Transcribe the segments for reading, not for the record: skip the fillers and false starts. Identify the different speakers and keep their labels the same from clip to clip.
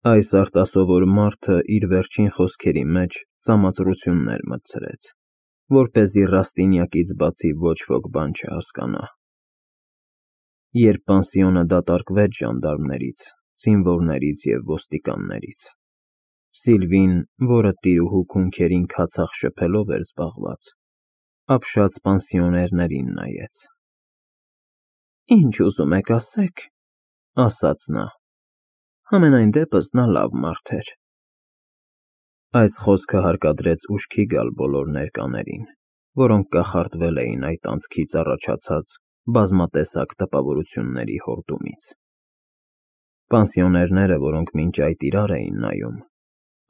Speaker 1: Այս արտասովոր մարդը իր վերջին խոսքերի մեջ ծամածրություններ մտցրեց, որպեսզի Ռաստինյակից բացի ոչ ոք բան չհասկանա։ Երբ պանսիոնը դատարկվեց ժանդարմներից, զինվորներից և ոստիկաններից, Սիլվին, որը տիրուհու քունքերին քացախ շփելով էր զբաղված, ապշած պանսիոներներին նայեց։ «Ինչ ուզում եք ասեք,֊ ասաց նա,֊ համենայն դեպս նա լավ մարդ էր»։ Այս խոսքը հարկադրեց ուշքի գալ բոլոր ներկաներին, որոնք կախարդվել էին այդ անցքից առաջացած բազմատեսակ տպավորությունների հորդումից։ Պանսիոներները, որոնք մինչ այդ իրար էին նայում,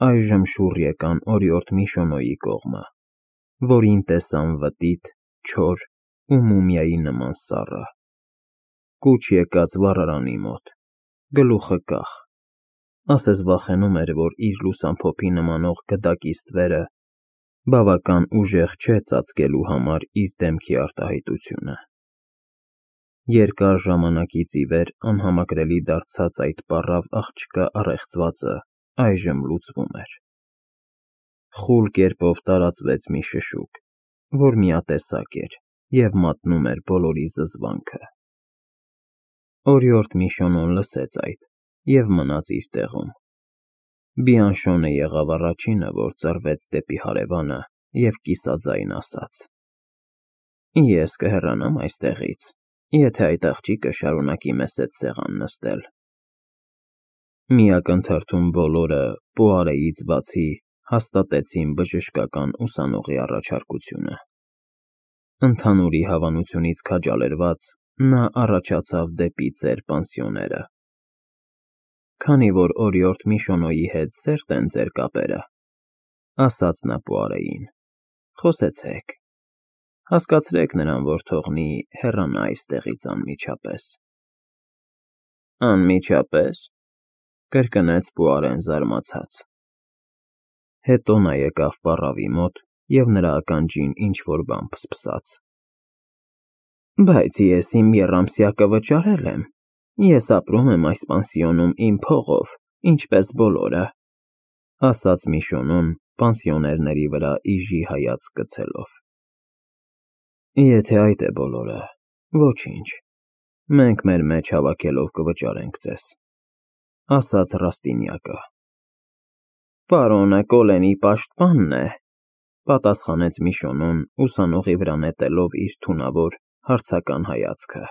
Speaker 1: այժմ շուռ եկան օրիորդ Միշոնոյի կողմը, որին տեսան վտիտ, չոր ու մումիայի նման սառը, կուչ եկած վառարանի մոտ, գլուխը կախ, ասես վախենում էր, որ իր լուսամփոփի նմանող գդակի ստվերը բավական ուժեղ չէ ծածկելու համար իր դեմքի արտահայտությունը։ Երկար ժամանակից ի վեր անհամակրելի դարձած այդ պառավ աղջկա առեղծվածը այժմ լուծվում էր։ Խուլ կերպով տարածվեց մի շշուկ, որ միատեսակ էր և մատնում էր բոլորի զզվանքը։ Օրիորդ Միշոնոն լսեց այդ և մնաց իր տեղում։ Բիանշոնը եղավ առաջինը, որ ծռվեց դեպի հարևանը և կիսաձայն ասաց. «Ես կհեռանամ այստեղից, եթե այդ աղջիկը շարունակի մեզ հետ սեղան նստել»։ Մի ակնթարթում բոլորը, Պուարեից բացի, հաստատեցին բժշկական ուսանողի առաջարկությունը։ Ընդհանուրի հավանությունից քաջալերված, նա առաջացավ դեպի ծեր պանսիոները։ «Քանի որ օրիորդ Միշոնոյի հետ սերտ են ձեր կապերը,֊ ասաց նա Պուարեին,֊ խոսեցեք, հասկացրեք նրան, որ թողնի հեռանա այստեղից անմիջապես»։ «Անմիջապես,֊ կրկնեց Պուարեն զարմացած։ Հետո նա եկավ պառավի մոտ և նրա ականջին ինչ֊որ բան փսփսաց։ «Բայց ես իմ եռամսյակը վճարել եմ, ես ապրում եմ այս պանսիոնում իմ փողով, ինչպես բոլորը,֊ ասաց Միշոնոն պանսիոներների վրա իժի հայացք գցելով։ «Եթե այդ է բոլորը, ոչինչ, մենք մեր մեջ հավաքելով կվճարենք ձեզ», ասաց Ռաստինյակը։ «Պարոնը Կոլենի պաշտպանն է,֊ պատասխանեց Միշոնոն ուսանողի վրա նետելով իր թունավոր, հարցական հայացքը,֊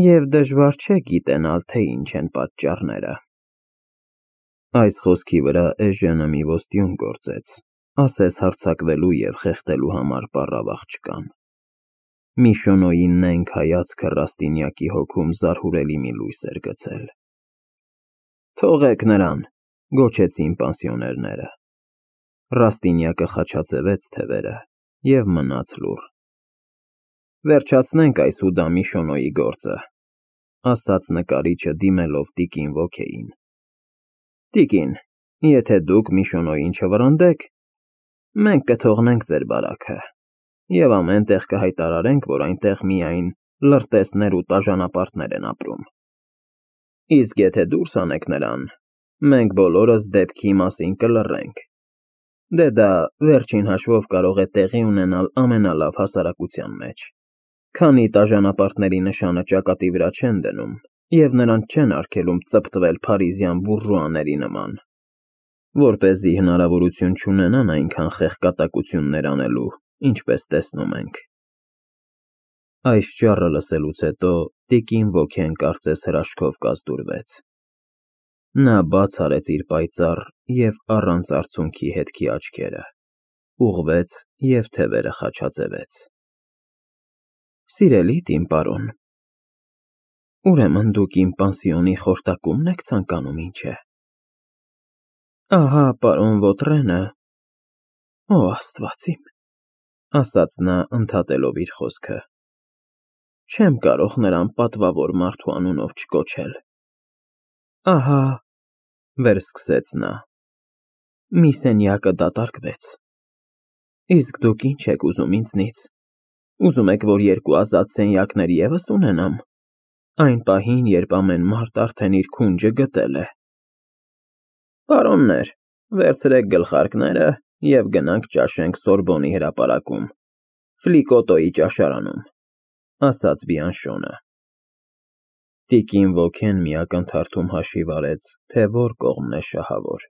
Speaker 1: և դժվար չէ գիտենալ, թե ինչ են պատճառները»։ Այս խոսքի վրա Էժենը մի ոստյուն գործեց, ասես հարձակվելու և խեղդելու համար պառավ աղջկան։ Միշոնոյի նենգ հայացքը Ռաստինյակի հոգում զարհուրելի մի լույս էր գցել։ «Թողեք նրան,֊ գոչեցին պանսիոներները։ Ռաստինյակը խաչաձևեց թևերը և մնաց լուռ։ «Վերջացնենք այս ուդա Միշոնոյի գործը,֊ ասաց նկարիչը դիմելով տիկին Ոքեին։ Տիկին, եթե դուք Միշոնոյին չվռնդեք, մենք կթողնենք ձեր բարաքը և ամեն տեղ կհայտարարենք, որ այնտեղ միայն լրտեսներ ու տաժանապարտներ են ապրում։ Իսկ եթե դուրս հանեք նրան, մենք բոլորս դեպքի մասին կլռենք։ Դե դա վերջին հաշվով կարող է տեղի ունենալ ամենալավ հասարակության մեջ, քանի տաժանապարտների նշանը ճակատի վրա չեն դնում և նրանց չեն արգելում ծպտվել փարիզյան բուրժուաների նման, որպեսզի հնարավորություն չունենան այնքան խեղկատակություններ անելու, ինչպես տեսնում ենք»։ Այս ճառը լսելուց հետո տիկին Ոքեն կարծես հրաշքով կազդուրվեց։ Նա բաց արեց իր պայծառ և առանց արցունքի հետքի աչքերը, ուղղվեց և թևերը խաչաձևեց։ «Սիրելի տին պարոն, ուրեմն դուք իմ պանսիոնի խորտակումն եք ցանկանում, ինչ է։ Ահա պարոն Վոտրենը,— Ո Աստված իմ,֊ ասաց նա ընդհատելով իր խոսքը,֊ չեմ կարող նրան պատվավոր մարդու անունով չկոչել։ Ահա,֊ վերսկսեց նա,֊ մի սենյակը դատարկվեց։ Իսկ դուք ինչ եք ուզում ինձնից, ուզում եք, որ երկու ազատ սենյակներ ևս ունենամ, այն պահին, երբ ամեն մարդ արդեն իր քունջը գտել է։ Պարոններ, վերցրեք գլխարկները և գնանք ճաշենք Սորբոնի հրապարակում, Ֆլիկոտոյի ճաշարանում, ասաց Բիանշոնը։ Տիկին Վոքեն մի ակնթարթում հաշիվ արեց, թե որ կողմն է շահավոր,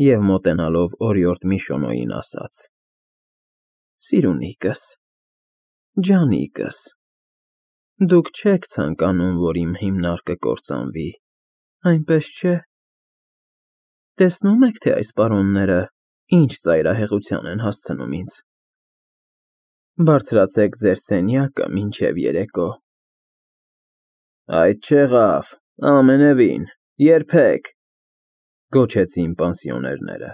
Speaker 1: և մոտենալով օրիորդ Միշոնոյին ասաց. Սիրունիկս, ջանիկս, դուք չեք ցանկանում, որ իմ հիմնարկը կործանվի, այնպես չէ՞։ Տեսնում եք, թե այս պարոնները ինչ ծայրահեղության են հասցնում ինձ։ Բարձրացեք ձեր սենյակը մինչև երեկո։ Այդ չեղավ, ամենևին, երբեք, գոչեցին պանսիոներները։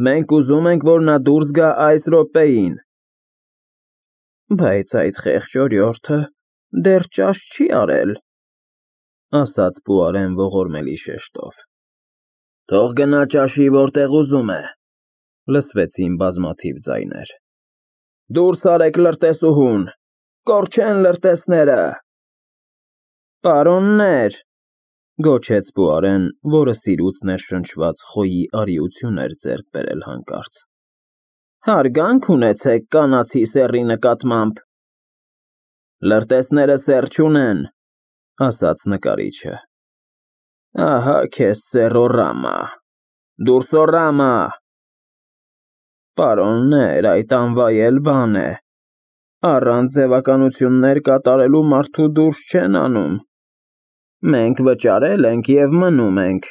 Speaker 1: Մենք ուզում ենք, որ նա դուրս գա այս րոպեին։ Բայց այդ խեղճ օրիորդը դեռ ճաշ չի արել, ասաց Պուարեն ողորմելի շեշտով։ Թող գնա ճաշի, որտեղ ուզում է, լսվեցին բազմաթիվ ձայներ։ Դուրս արեք լրտեսուհուն, կորչեն լրտեսները։ Պարոններ, գոչեց Պուարեն, որը սիրուց ներշնչված խոյի արիություն էր ձեռք բերել հանկարծ։ Հարգանք ունեցեք կանացի սեռի նկատմամբ։ Լրտեսները սեռ չունեն, ասաց նկարիչը։ Ահա քեզ սեռորամա, դուրսորամա։ Պարոններ, այդ անվայել բան է։ Առանց ձևականություններ կատարելու մարդու դուրս չեն անում։ Մենք վճարել ենք և մնում ենք,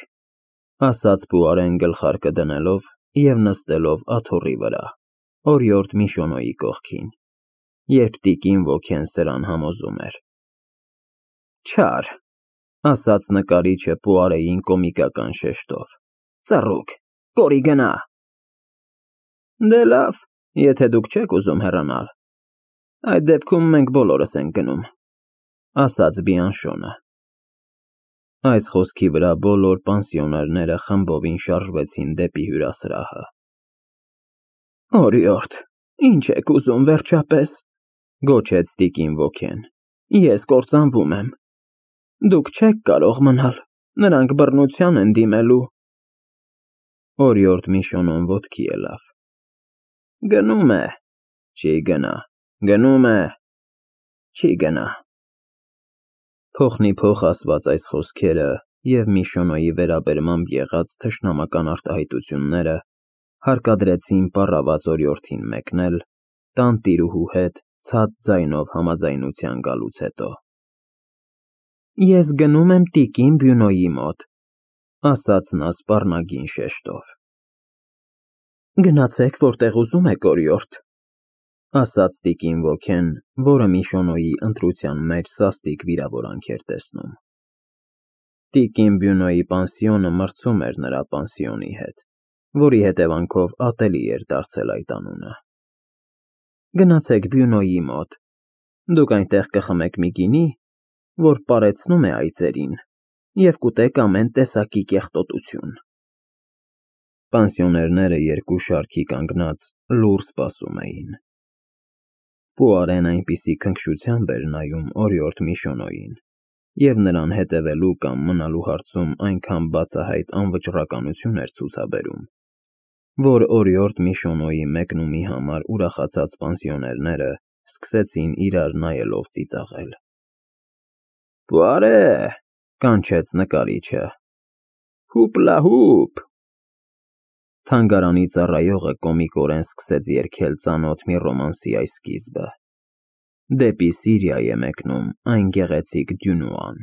Speaker 1: ասաց Պուարեն գլխարկը դնելով և նստելով աթոռի վրա, օրիորդ Միշոնոյի կողքին, երբ տիկին Վոքեն սրան համոզում էր։ Չար, ասաց նկարիչը Պուարեին կոմիկական շեշտով, ծռուկ, կորի գնա։ Դե լավ, եթե դուք չեք ուզում հեռանալ, այդ դեպքում մենք բոլորս ենք գնում, ասաց Բիանշոնը։ Այս խոսքի վրա բոլոր պանսիոներները խմբովին շարժվեցին դեպի հյուրասրահը։ Օրիորդ, ինչ եք ուզում վերջապես, գոչեց տիկին Վոքեն, ես կործանվում եմ։ Դուք չեք կարող մնալ, նրանք բռնության են դիմելու։ Օրիորդ Միշոնոն ոտքի ելավ։ Գնում է, չի գնա, գնում է, չի գնա։ Փոխնի փոխ ասված այս խոսքերը և Միշոնոյի վերաբերմամբ եղած թշնամական արտահայտությունները հարկադրեցին պառաված օրիորդին մեկնել, տան տիրուհու հետ ցած ձայնով համաձայնության գալուց հետո։ Ես գնում եմ տիկին Բյունոյի մոտ, ասաց նա սպառնագին շեշտով։ Գնացեք, որտեղ ուզում եք, օրիորդ, ասաց տիկին Վոքեն, որը Միշոնոյի ընտրության մեջ սաստիկ վիրավորանք էր տեսնում։ Տիկին Բյունոյի պանսիոնը մրցում էր նրա պանսիոնի հետ, որի հետևանքով ատելի էր դարձել այդ անունը։ Գնացեք Բյունոյի մոտ, դուք այնտեղ կխմեք մի գինի, որ պարեցնում է այծերին, և կուտեք ամեն տեսակի կեղտոտություն։ Պանսիոներները երկու շարքի կանգնած լուռ սպասում էին։ Պուարեն այնպիսի քնքշությամբ էր նայում օրիորդ Միշոնոյին և նրան հետևելու կամ մնալու հարցում այնքան բացահայտ անվճռականություն էր ցուցաբերում, որ օրիորդ Միշոնոյի մեկնումի համար ուրախացած պանսիոներները սկսեցին իրար նայելով ծիծաղել։ Պուարե, կանչեց նկարիչը, հուպլա-հուպ։ Թանգարանի ծառայողը կոմիկորեն սկսեց երգել ծանոթ մի ռոմանսի այս սկիզբը։ Դեպի Սիրիա է մեկնում այն գեղեցիկ Դյունուան։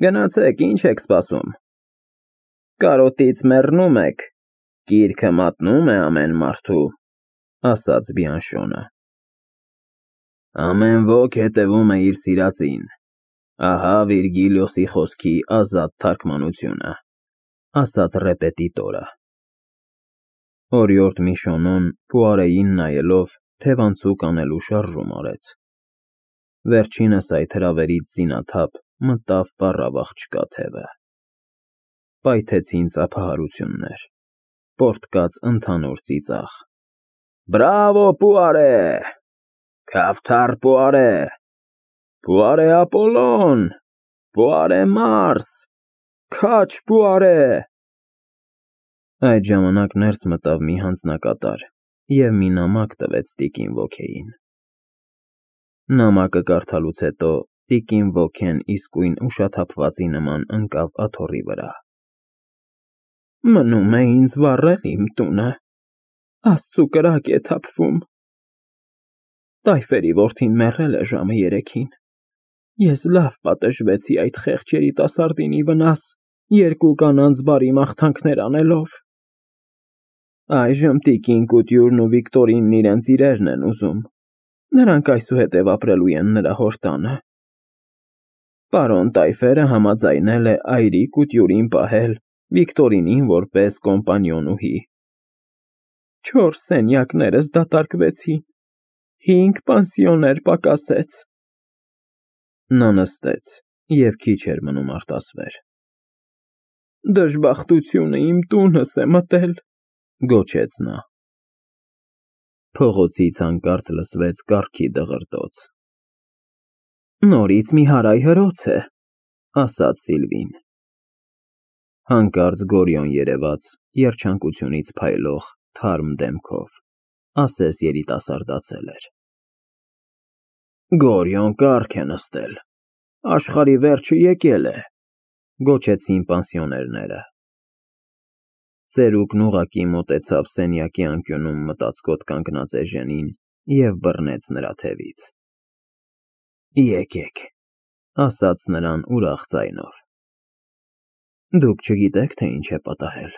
Speaker 1: Գնացեք, ինչ եք սպասում։ Կարոտից մեռնում եք, գիրքը մատնում է ամեն մարդու, ասաց Բիանշոնը։ Ամեն ոք հետևում է իր սիրածին, ահա Վիրգիլիոսի խոսքի ազատ թարգմանությունը, ասաց ռեպետիտորը։ Օրիորդ Միշոնոն Պուարեին նայելով թևանցուկ անելու շարժում արեց։ Վերջինս այդ հրավերից զինաթափ մտավ պառավ-աղջկա թևը։ Պայթեցին ծափահարություններ, պոռթկաց ընդհանուր ծիծաղ։ Բրավո, Պուարե, քավթար Պուարե, Պուարե Ապոլոն, Պուարե Մարս, Քաչ բուարե։ Այդ ժամանակ ներս մտավ մի հանձնակատար և մի նամակ տվեց տիկին ոգեին։ Նամակը կարդալուց հետո տիկին ոգեն իսկույն ուշաթափվածի նման ընկավ աթոռի վրա։ Մնում է ինձ վառել իմ տունը, Աստծու կրակ է թափվում։ Տայֆերի որդին մեռել է ժամը 3-ին։ Ես լավ պատժվեցի այդ խեղճ երիտասարդին ի վնաս, 2 կանանց բարի մաղթանքներ անելով։ Այժմ տիկին Կուտյուրն ու Վիկտորինն իրենց իրերն են ուզում։ Նրանք այսուհետև ապրելու են նրա հոր տանը։ Պարոն Տայֆերը համաձայնել է այրի Կուտյուրին պահել Վիկտորինին որպես կոմպանիոնուհի։ 4 սենյակներս դատարկվեցին, 5 պանսիոներ պակասեց։ Նա նստեց և քիչ էր մնում արտասվեր։ Դժբախտությունը իմ տունս է մտել, գոչեց նա։ Փողոցից հանկարծ լսվեց կառքի դղրդոց։ Նորից մի հարայհրոց է, ասաց Սիլվին։ Հանկարծ Գորիոն երևաց երջանկությունից փայլող թարմ դեմքով, ասես երիտասարդացել էր։ Գորիոն կառք է նստել, աշխարհի վերջը եկել է, գոչեցին պանսիոներները։ Ծերուկն ուղղակի մոտեցավ սենյակի անկյունում մտածկոտ կանգնած Էժենին և բռնեց նրա թևից։ Եկեք, ասաց նրան ուրախ ձայնով։ Դուք չգիտեք, թե ինչ է պատահել,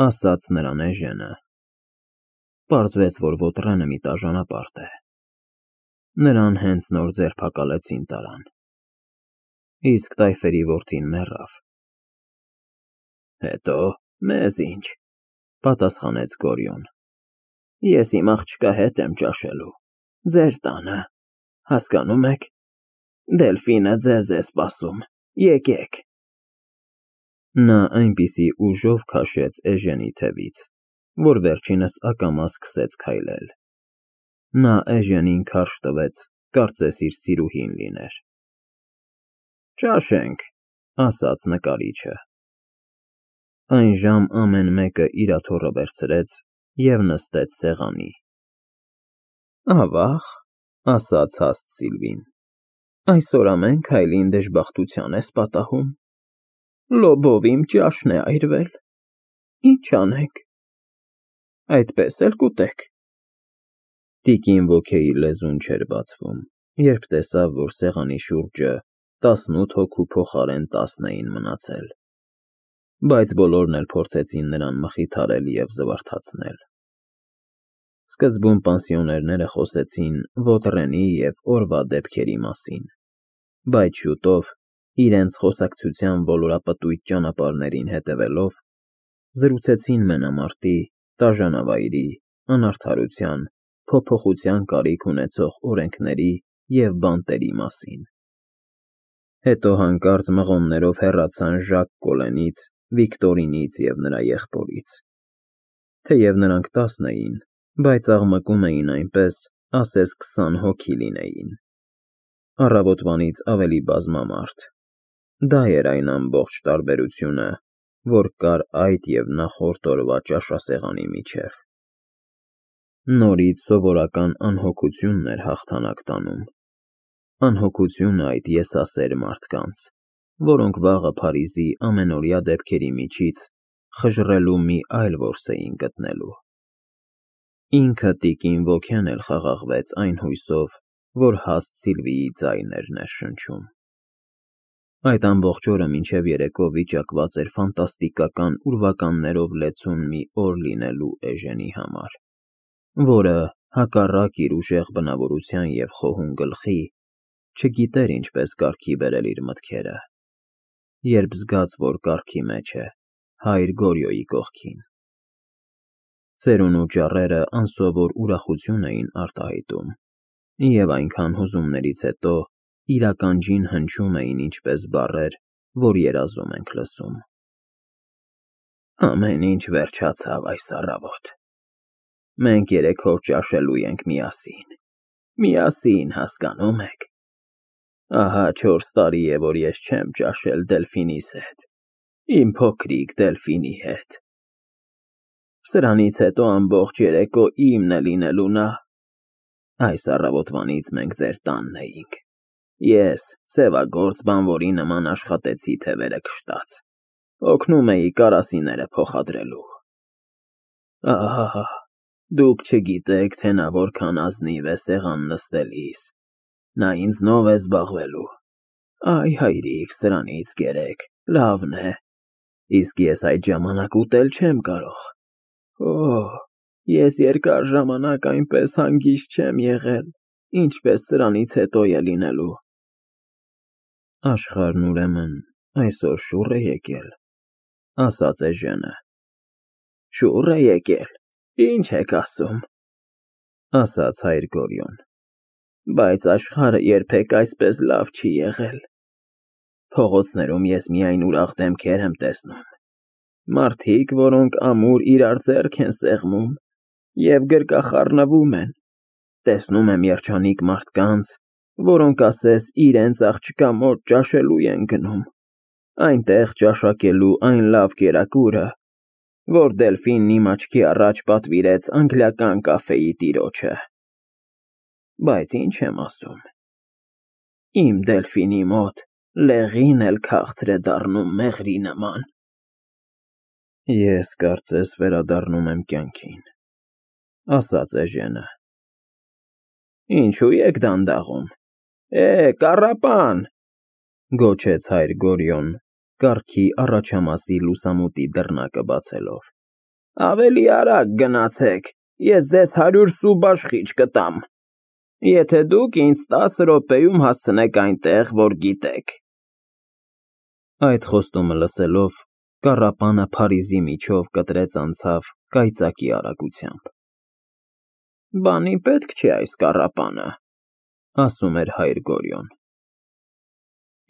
Speaker 1: ասաց նրան Էժենը։ Պարզվեց, որ Վոտրենը մի տաժանապարտ է։ Նրան հենց նոր ձերբակալեցին տարան։ Իսկ Տայֆերի որդին մեռավ։ Հետո մեզ ինչ, պատասխանեց Գորիոն։ Ես իմ աղջկա հետ եմ ճաշելու, ձեր տանը, հասկանում եք։ Դելֆինը ձեզ է սպասում, եկեք։ Նա այնպիսի ուժով քաշեց Էժենի թևից, որ վերջինս ակամա սկսեց քայլել։ Նա Էժենին քարշ տվեց, կարծես իր սիրուհին լիներ։ Ճաշենք, ասաց նկարիչը։ Այն ժամ ամեն մեկը իր աթոռը վերցրեց և նստեց սեղանի։ Ավաղ, ասաց հաստ Սիլվին, այսօր ամեն քայլին դժբախտության ես պատահում։ Լոբով իմ ճաշն է այրվել։ Ինչ անենք։ Այդպես էլ կուտեք։ Տիկին ոգեի լեզուն չէր բացվում, երբ տեսավ, որ սեղանի շուրջը 18 հոգու փոխարեն 10 էին մնացել։ Բայց բոլորն էլ փորձեցին նրան մխիթարել և զվարթացնել։ Սկզբում պանսիոներները խոսեցին Վոտրենի և օրվա դեպքերի մասին, բայց շուտով, իրենց խոսակցության ոլորապտույտ ճանապարհներին հետևելով, զրուցեցին մենամարտի, տաժանավայրի, անարդարության, փոփոխության կարիք ունեցող օրենքների և բանտերի մասին։ Հետո հանկարծ մղոններով հեռացան Ժակ Կոլենից, Վիկտորինից և նրա եղբորից։ Թեև նրանք 10 էին, բայց աղմկում էին այնպես, ասես 20 հոգի լինեին։ Առավոտվանից ավելի բազմամարդ։ Դա էր այն ամբողջ տարբերությունը, որ կար այդ և նախորդ օրվա ճաշասեղանի միջև։ Նորից սովորական անհոգությունն էր հաղթանակ տանում։ Անհոգությունը այդ եսասեր մարդկանց, որոնք վաղը Փարիզի ամենօրյա դեպքերի միջից խժռելու մի այլ որս էին գտնելու։ Ինքը տիկին ոգեն էլ խաղաղվեց այն հույսով, որ հաստ Սիլվիի ձայնն էր ներշնչում։ Այդ ամբողջ օրը մինչև երեկո վիճակված էր ֆանտաստիկական ուրվականներով լեցուն մի օր լինելու Էժենի համար, որը, հակառակ իր ուժեղ բնավորության և խոհուն գլխի, չգիտեր ինչպես կարգի բերել իր մտքերը, երբ զգաց, որ կառքի մեջ է, հայր Գորիոյի կողքին։ Ծերունու ճառերը անսովոր ուրախություն էին արտահայտում, և այնքան հուզումներից հետո իր ականջին հնչում էին ինչպես բառեր, որ երազում ենք լսում. Ամեն ինչ վերջացավ այս առավոտ։ Մենք երեքով ճաշելու ենք միասին։ Միասին, հասկանում եք։ Ահա 4 տարի է, որ ես չեմ ճաշել Դելֆինիս հետ։ Իմ փոքրիկ Դելֆինի հետ։ Սրանից հետո ամբողջ երեկո իմն է լինելու նա։ Այս առավոտվանից մենք ձեր տանն էինք։ Ես սևագործ բանվորի նման աշխատեցի թևերը քշտած, օգնում էի կարասիները փոխադրելու։ Ահա, դուք չգիտեք, թե նա որքան ազնիվ է սեղան նստելիս, նա ինձնով է զբաղվելու։ Այ հայրիկ, սրանից գերեք, լավն է, իսկ ես այդ ժամանակ ուտել չեմ կարող։ Ես երկար ժամանակ այնպես հանգիստ չեմ եղել, ինչպես սրանից հետո է լինելու։ Աշխարհն ուրեմն այսօր շուռ է եկել, ասաց Էժենը։ Շուռ է եկել, ինչ եք ասում, ասաց հայր Գորյուն, բայց աշխարհը երբեք այսպես լավ չի եղել։ Փողոցներում ես միայն ուրախ դեմքեր եմ տեսնում, մարդիկ, որոնք ամուր իրար ձեռք են սեղմում և գրկախառնվում են, տեսնում եմ երջանիկ մարդկանց, որոնք ասես իրենց աղջկա մոտ ճաշելու են գնում, այնտեղ ճաշակելու այն լավ կերակուրը, որ Դելֆինն իմ աչքի առաջ պատվիրեց անգլիական կաֆեի տիրոջը։ Բայց ինչ եմ ասում, իմ Դելֆինի մոտ լեղին էլ քաղցր է դառնում մեղրի նման։ Ես կարծես վերադառնում եմ կյանքին, ասաց Էժենը։ Ինչու եք դանդաղում։ Կառապան, գոչեց հայր Գորյուն, կառքի առաջամասի լուսամուտի դռնակը բացելով։ Ավելի արագ գնացեք, ես ձեզ 100 սու բաշխիչ կտամ, եթե դուք ինձ 10 րոպեում հասցնեք այնտեղ, որ գիտեք։ Այդ խոստումը լսելով, կառապանը Փարիզի միջով կտրեց անցավ կայծակի արագությամբ։ Բանի պետք չէ այս կառապանը, ասում էր հայր Գորյուն։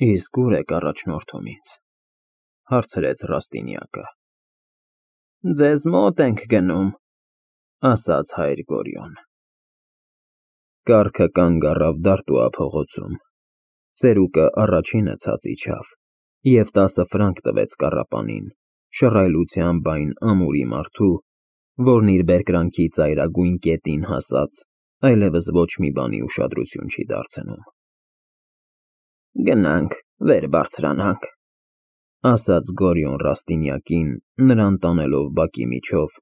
Speaker 1: Իսկ ուր եք առաջնորդում ինձ, հարցրեց Ռաստինյակը։ Ձեզ մոտ ենք գնում, ասաց հայր Գորյուն։ Կառքը կանգ առավ Դարտուա փողոցում, ծերուկը առաջինը ցած իջավ և 10 ֆրանկ տվեց կառապանին, շռայլությամբ այն ամուրի մարդու, որն իր բերկրանքի ծայրագույն կետին հասած, այլևս ոչ մի բանի ուշադրություն չի դարձնում։ Գնանք, վեր բարձրանանք, ասաց Գորյուն Ռաստինյակին, նրան տանելով բակի միջով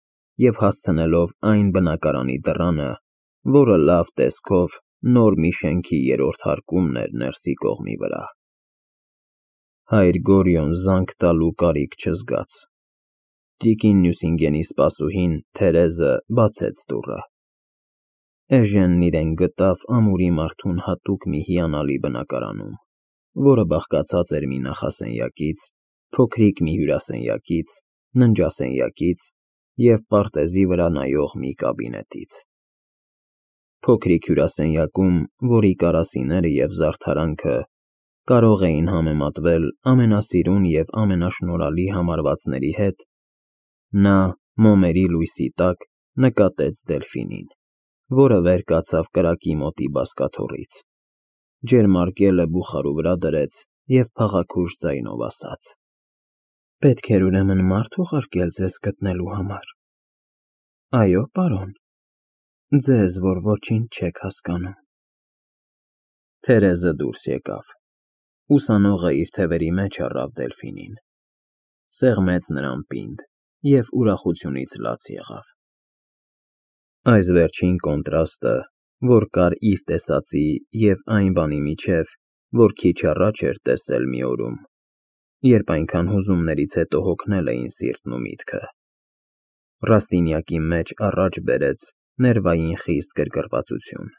Speaker 1: և հասցնելով այն բնակարանի դռանը, որը լավ տեսքով նոր մի շենքի 3-րդ հարկումն էր ներսի կողմի վրա։ Հայր Գորյուն զանգ տալու կարիք չզգաց։ Տիկին Նյուսինգենի սպասուհին Թերեզը բացեց դուռը։ Էժենն իրեն գտավ ամուրի մարդուն հատուկ մի հիանալի բնակարանում, որը բաղկացած էր մի նախասենյակից, փոքրիկ մի հյուրասենյակից, ննջասենյակից և պարտեզի վրա նայող մի կաբինետից։ Փոքրիկ հյուրասենյակում, որի կարասիները և զարդարանքը կարող էին համեմատվել ամենասիրուն և ամենաշնորհալի համարվածների հետ, նա մոմերի լույսի տակ նկատեց Դելֆինին, որը վեր կացավ կրակի մոտի բազկաթոռից, ջերմարկելը բուխարու վրա դրեց և փաղաքուշ ձայնով ասաց. Պետք էր ուրեմն մարդ ուղարկել ձեզ գտնելու համար։ Այո, պարոն, ձեզ, որ ոչինչ չեք հասկանում։ Թերեզը դուրս եկավ։ Ուսանողը իր թևերի մեջ առավ Դելֆինին, սեղմեց նրան պինդ և ուրախությունից լաց եղավ։ Այս վերջին կոնտրաստը, որ կար իր տեսածի և այն բանի միջև, որ քիչ առաջ էր տեսել մի օրում, երբ այնքան հուզումներից հետո հոգնել էին սիրտն ու միտքը, Ռաստինյակի մեջ առաջ բերեց ներվային խիստ գրգռվածություն։